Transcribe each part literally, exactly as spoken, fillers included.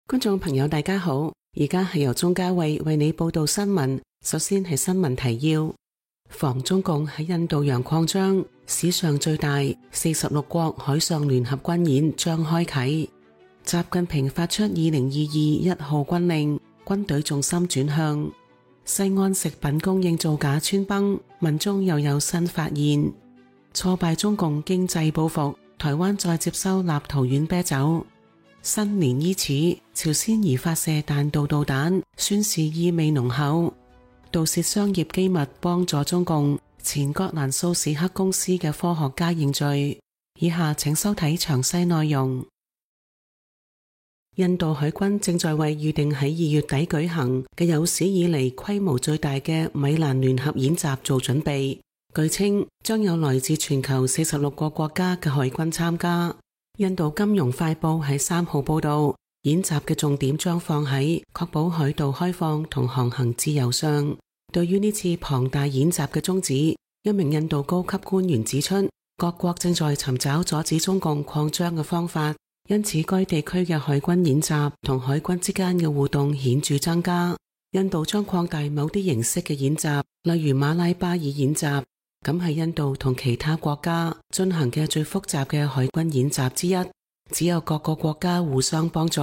觀眾朋友大家好，而家係由鍾嘉慧為你報道新聞。首先係新聞提要：防中共喺印度洋擴張，史上最大四十六國海上聯合軍演將開啟。習近平發出二零二二一號軍令，軍隊重心轉向。西安食品供應造假穿崩，民眾又有新發現。挫敗中共經濟報復，台灣再接收立陶宛啤酒。新年伊始，朝鮮疑發射彈道導彈，宣示意味濃厚。盜竊商業機密幫助中共，前葛蘭素史克公司嘅科學家認罪。以下請收睇詳細內容。印度海軍正在為預定喺二月底舉行嘅有史以嚟規模最大嘅米蘭聯合演習做準備。據稱將有來自全球四十六個國家嘅海軍參加。印度金融快報喺三號報道，演習嘅重點將放喺確保海道開放同航行自由上。對於呢次龐大演習嘅宗旨，一名印度高級官員指出，各國正在尋找阻止中共擴張嘅方法，因此該地區嘅海軍演習同海軍之間嘅互動顯著增加。印度將擴大某啲形式嘅演習，例如馬拉巴爾演習。咁係印度同其他國家進行嘅最複雜嘅海軍演習之一，只有各個國家互相幫助，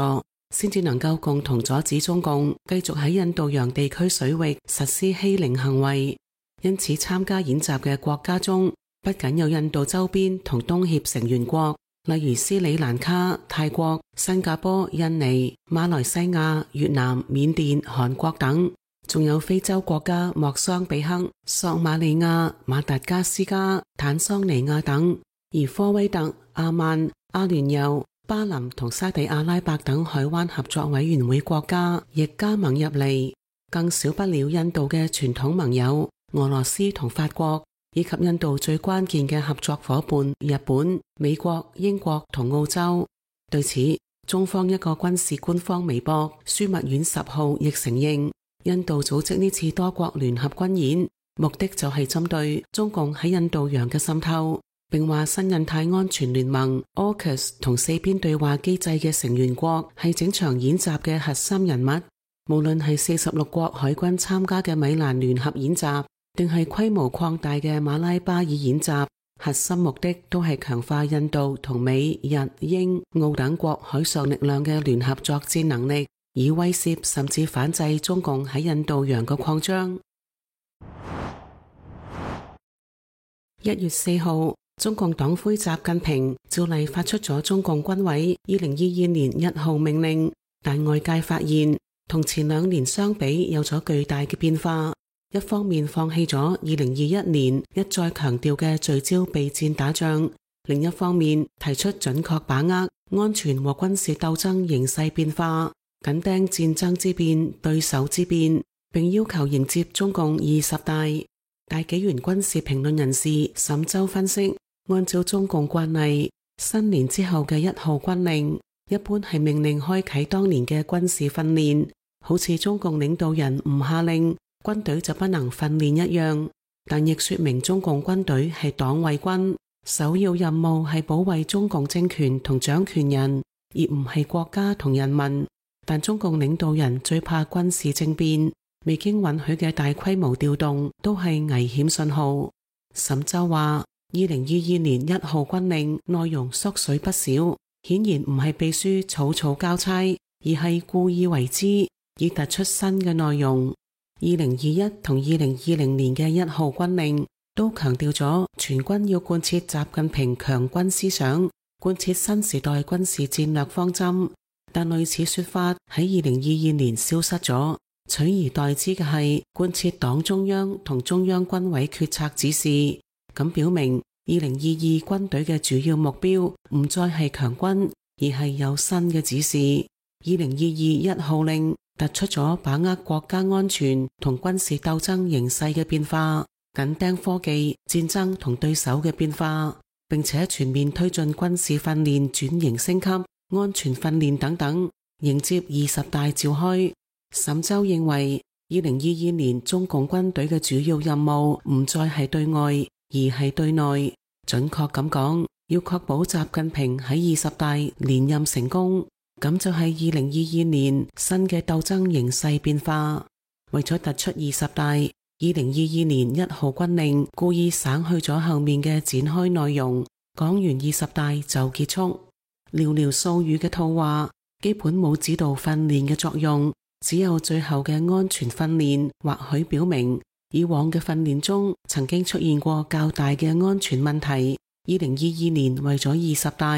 先至能夠共同阻止中共繼續喺印度洋地區水域實施欺凌行為。因此參加演習嘅國家中，不僅有印度周邊同東協成員國，例如斯里蘭卡、泰國、新加坡、印尼、馬來西亞、越南、緬甸、韓國等，仲有非洲國家莫桑比克、索馬利亞、馬達加斯加、坦桑尼亞等，而科威特、阿曼、阿聯酋、巴林同沙地阿拉伯等海灣合作委員會國家亦加盟入嚟，更少不了印度嘅傳統盟友俄羅斯同法國，以及印度最關鍵嘅合作夥伴日本、美國、英國同澳洲。對此，中方一個軍事官方微博樞密院十號亦承認，印度組織呢次多國聯合軍演，目的就係針對中共喺印度洋嘅滲透，並話新印太安全聯盟 A U K U S 同四邊對話機制嘅成員國係整場演習嘅核心人物。無論係四十六國海軍參加嘅米蘭聯合演習，定係規模擴大嘅馬拉巴爾演習，核心目的都係強化印度同美、日、英、澳等國海上力量嘅聯合作戰能力，以威懾甚至反制中共喺印度洋嘅擴張。一月四號，中共黨魁習近平照例發出咗中共軍委二零二二年一號命令，但外界發現同前兩年相比有咗巨大嘅變化。一方面放棄咗二零二一年一再強調嘅聚焦備戰打仗，另一方面提出準確把握安全和軍事鬥爭形勢變化，緊盯戰爭之變、對手之變，並要求迎接中共二十大。大紀元軍事評論人士沈周分析，按照中共慣例，新年之後嘅一號軍令一般係命令開啟當年嘅軍事訓練，好似中共領導人唔下令，軍隊就不能訓練一樣，但亦說明中共軍隊係黨衛軍，首要任務係保衛中共政權同掌權人，而唔係國家同人民。但中共領導人最怕軍事政變，未經允許嘅大規模調動都係危險信號。沈周話，二零二二年一號軍令內容縮水不少，顯然唔係秘書草草交差，而係故意為之，以突出新嘅內容。二零二一同二零二零年嘅一號軍令都強調咗全軍要貫徹習近平強軍思想，貫徹新時代軍事戰略方針，但類似說法喺二零二二年消失咗，取而代之嘅係貫徹黨中央同中央軍委決策指示。咁表明二零二二軍隊嘅主要目標唔再係強軍，而係有新嘅指示。二零二二一號令突出咗把握國家安全同軍事鬥爭形勢嘅變化，緊盯科技、戰爭同對手嘅變化，並且全面推進軍事訓練轉型升級、安全訓練等等，迎接二十大召開。沈周認為，二零二二年中共軍隊嘅主要任務唔再係對外，而係對內。準確咁講，要確保習近平喺二十大連任成功。咁就係二零二二年新嘅鬥爭形勢變化。為咗突出二十大，二零二二年一號軍令故意省去咗後面嘅展開內容，講完二十大就結束，寥寥數語嘅套話，基本冇指導訓練嘅作用，只有最後嘅安全訓練，或許表明以往嘅訓練中曾經出現過較大嘅安全問題。二零二二年為咗二十大，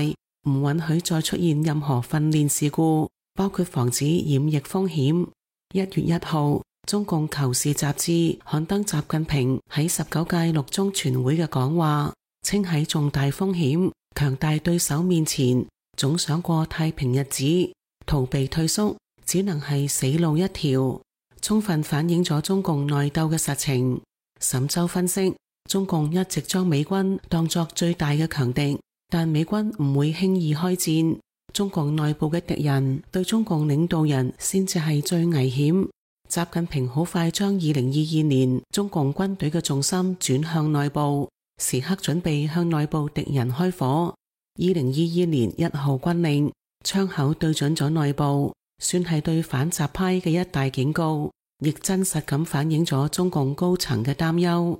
唔允許再出現任何訓練事故，包括防止染疫風險。一月一號，中共求是雜誌刊登習近平喺十九屆六中全會嘅講話，稱喺重大風險、強大對手面前，總想過太平日子，逃避退縮，只能係死路一條，充分反映咗中共內鬥嘅實情。沈周分析，中共一直將美軍當作最大嘅強敵，但美軍唔會輕易開戰。中共內部嘅敵人對中共領導人先至係最危險。習近平好快將二零二二年中共軍隊嘅重心轉向內部，時刻準備向內部敵人開火。二零二二年一號軍令，槍口對準咗內部，算係對反習派嘅一大警告，亦真實咁反映咗中共高層嘅擔憂。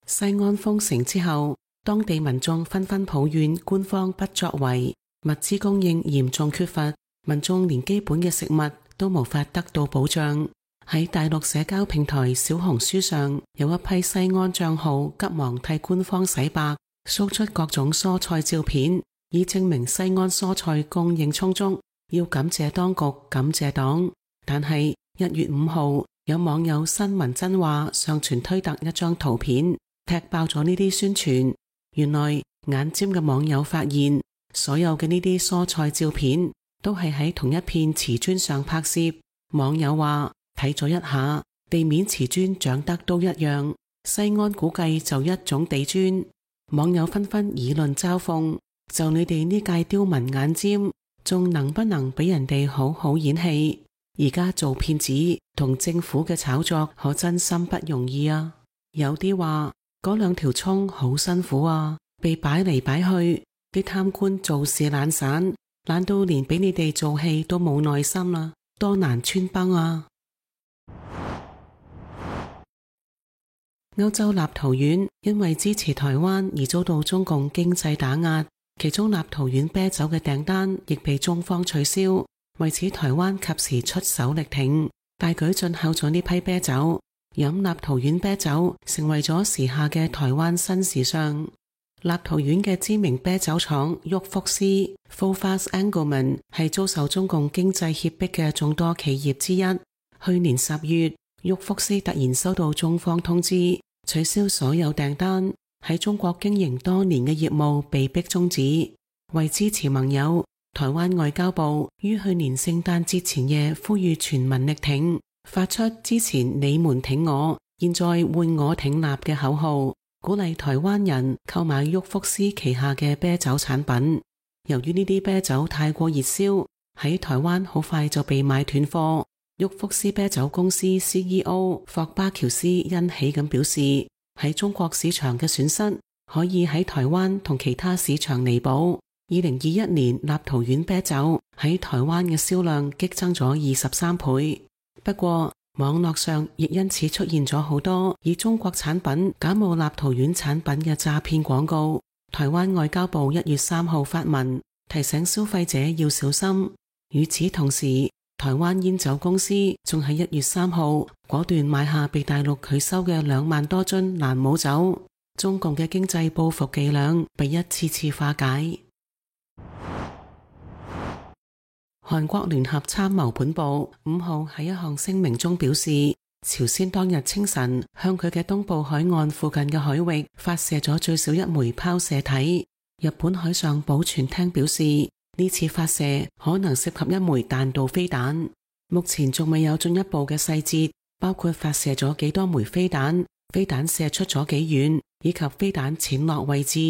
西安封城之後，當地民眾紛紛抱怨官方不作為，物資供應嚴重缺乏，民眾連基本嘅食物都無法得到保障。喺大陸社交平台小紅書上，有一批西安賬號急忙替官方洗白，掃出各種蔬菜照片，以證明西安蔬菜供應充足，要感謝當局，感謝黨。但係一月五號，有網友新聞真話上傳推特一張圖片，踢爆咗呢啲宣傳。原來眼尖嘅網友發現，所有嘅呢啲蔬菜照片都係喺同一片瓷磚上拍攝。網友話睇咗一下，地面瓷磚長得都一樣，西安估計就一種地磚。網友紛紛議論嘲諷，就你哋呢屆刁民眼尖，仲能不能俾人哋好好演戲？而家做騙子同政府嘅炒作可真心不容易啊！有啲話嗰兩條蔥好辛苦啊，被擺嚟擺去，啲貪官做事懶散，懶到連俾你哋做戲都冇耐心啦，多難穿幫啊！歐洲立陶宛因為支持台灣而遭到中共經濟打壓，其中立陶宛啤酒嘅訂單亦被中方取消。為此，台灣及時出手力挺，大舉進口咗呢批啤酒。飲立陶宛啤酒成為咗時下嘅台灣新時尚。立陶宛嘅知名啤酒廠沃福斯 Fofass Engelmann 係遭受中共經濟脅迫嘅眾多企業之一。去年十月，沃福斯突然收到中方通知，取消所有訂單，喺中國經營多年嘅業務被迫終止。為支持盟友，台灣外交部於去年聖誕節前夜呼籲全民力挺，發出之前你們挺我，現在換我挺立嘅口號，鼓勵台灣人購買沃福斯旗下嘅啤酒產品。由於呢啲啤酒太過熱銷，喺台灣好快就被買斷貨。沃福斯啤酒公司 C E O 霍巴喬斯欣喜咁表示，喺中國市場嘅損失可以喺台灣同其他市場彌補。二零二一年立陶宛啤酒喺台灣嘅銷量激增咗二十三倍。不過網絡上亦因此出現咗好多以中國產品假冒立陶宛產品嘅詐騙廣告。台灣外交部一月三號發文提醒消費者要小心。與此同時，台灣煙酒公司仲喺一月三號果斷買下被大陸拒收嘅兩萬多樽蘭姆酒。中共嘅經濟報復伎倆被一次次化解。韓國聯合參謀本部五號喺一項聲明中表示，朝鮮當日清晨向佢嘅東部海岸附近嘅海域發射咗最少一枚拋射體。日本海上保全廳表示，呢次發射可能涉及一枚彈道飛彈，目前仲未有進一步嘅細節，包括發射咗幾多枚飛彈、飛彈射出咗幾遠，以及飛彈潛落位置。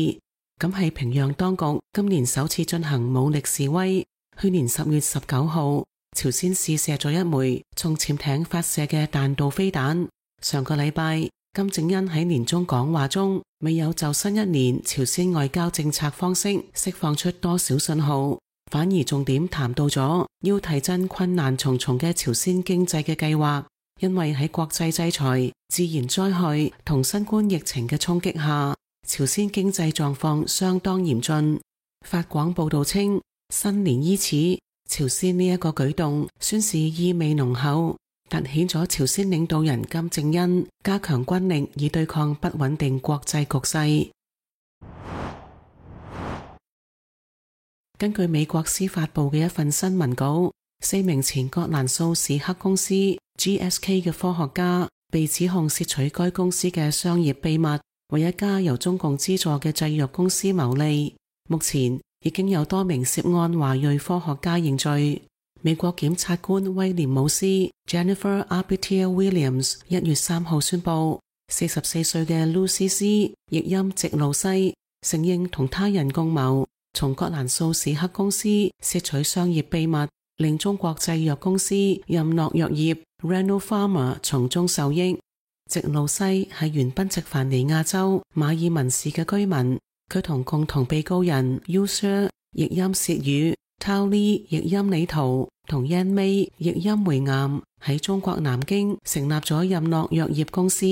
咁係平壤當局今年首次進行武力示威。去年十月十九號，朝鮮試射咗一枚從潛艇發射嘅彈道飛彈。上個禮拜，金正恩喺年終講話中未有就新一年朝鮮外交政策方式釋放出多少信號，反而重點談到咗要提振困難重重嘅朝鮮經濟嘅計劃。因為喺國際制裁、自然災害同新冠疫情嘅衝擊下，朝鮮經濟狀況相當嚴峻。法廣報道稱，新年伊始，朝鮮呢一個舉動宣示意味濃厚，凸顯咗朝鮮領導人金正恩加強軍力以對抗不穩定國際局勢。根據美國司法部嘅一份新聞稿，四名前葛蘭素史克公司 G S K 嘅科學家被指控竊取該公司嘅商業秘密，為一家由中共資助嘅製藥公司牟利。目前已經有多名涉案華裔科學家認罪。美國檢察官威廉姆斯 Jennifer Arbiter Williams 一月三號宣布，四十四歲嘅 Lucy C 譯音直路西承認同他人共謀，從葛蘭素史克公司竊取商業秘密，令中國製藥公司任諾藥業 Reno Pharma 從中受益。直路西係原賓夕凡尼亞州馬爾文市嘅居民，佢同共同被告人 User 譯音薛宇、Tao Li 譯音李圖同 Yan Mei 譯音梅岩喺中國南京成立咗任諾藥業公司，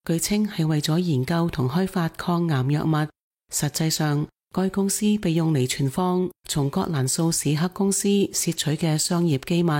據稱係為咗研究同開發抗癌藥物。實際上，該公司被用嚟存放從葛蘭素史克公司竊取嘅商業機密。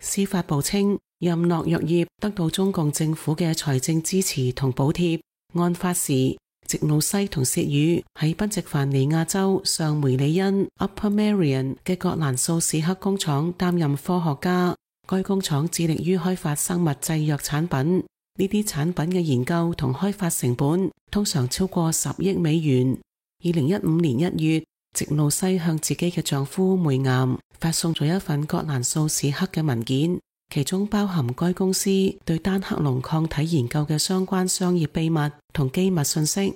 司法部稱，任諾藥業得到中共政府嘅財政支持同補貼。案發時，直路西同薛宇喺賓夕凡尼亞州上梅里恩 Upper Marion 嘅葛蘭素史克工廠擔任科學家。該工廠致力於開發生物製藥產品，呢啲產品嘅研究同開發成本通常超過十億美元。二零一五年一月，直路西向自己嘅丈夫梅岩發送咗一份葛蘭素史克嘅文件，其中包含該公司對單克隆抗體研究嘅相關商業秘密同機密信息。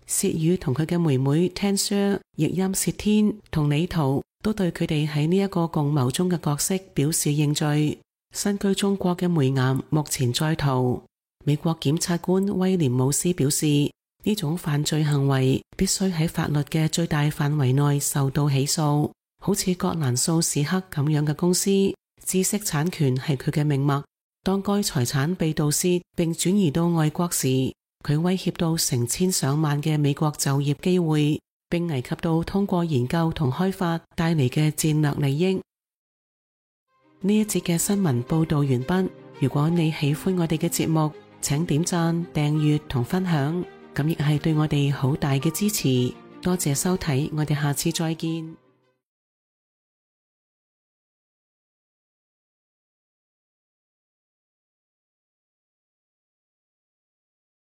薛宇同佢嘅妹妹 Tensher 譯音薛天同李圖都對佢哋喺呢一個共謀中嘅角色表示認罪。身居中國嘅梅岩目前在逃。美國檢察官威廉姆斯表示，呢種犯罪行為必須喺法律嘅最大範圍內受到起訴。好似葛蘭素史克咁樣嘅公司，知識產權係佢嘅命脈。當該財產被盜竊並轉移到外國時，佢威脅到成千上萬嘅美國就業機會，並危及到通過研究同開發帶嚟嘅戰略利益。呢一節嘅新聞報道完畢。如果你喜歡我哋嘅節目，請點讚、訂閱同分享，咁亦係對我哋好大嘅支持。多謝收睇，我哋下次再見。